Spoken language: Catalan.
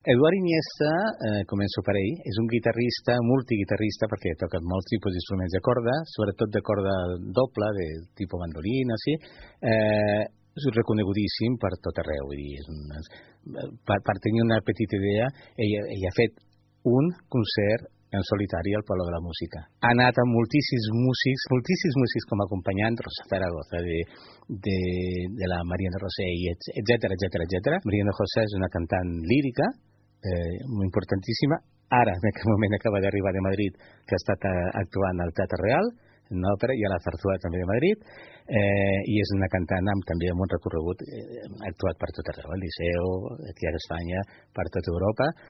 Eduard Iniesta, començo per ell, és un guitarrista, multiguitarrista, perquè toca molts tipus d'instruments de corda, sobretot de corda doble, de tipus mandolina, sí. És reconegudíssim per tot arreu. Vull dir, per tenir una petita idea, ell ha fet un concert en solitari al Palo de la Música. Ha anat amb moltíssims músics com a acompanyant, Rosa Zaragoza, de la Mariana Rossell, etc. Mariana José és una cantant lírica, importantíssima. Ara, en aquest moment, acaba d'arribar de Madrid, que ha estat actuant al Teatre Real, en una òpera, i a la Zarzuela també de Madrid, i és una cantant també amb un recorregut, ha actuat per tot arreu, al Liceu, aquí a Espanya, per tota Europa.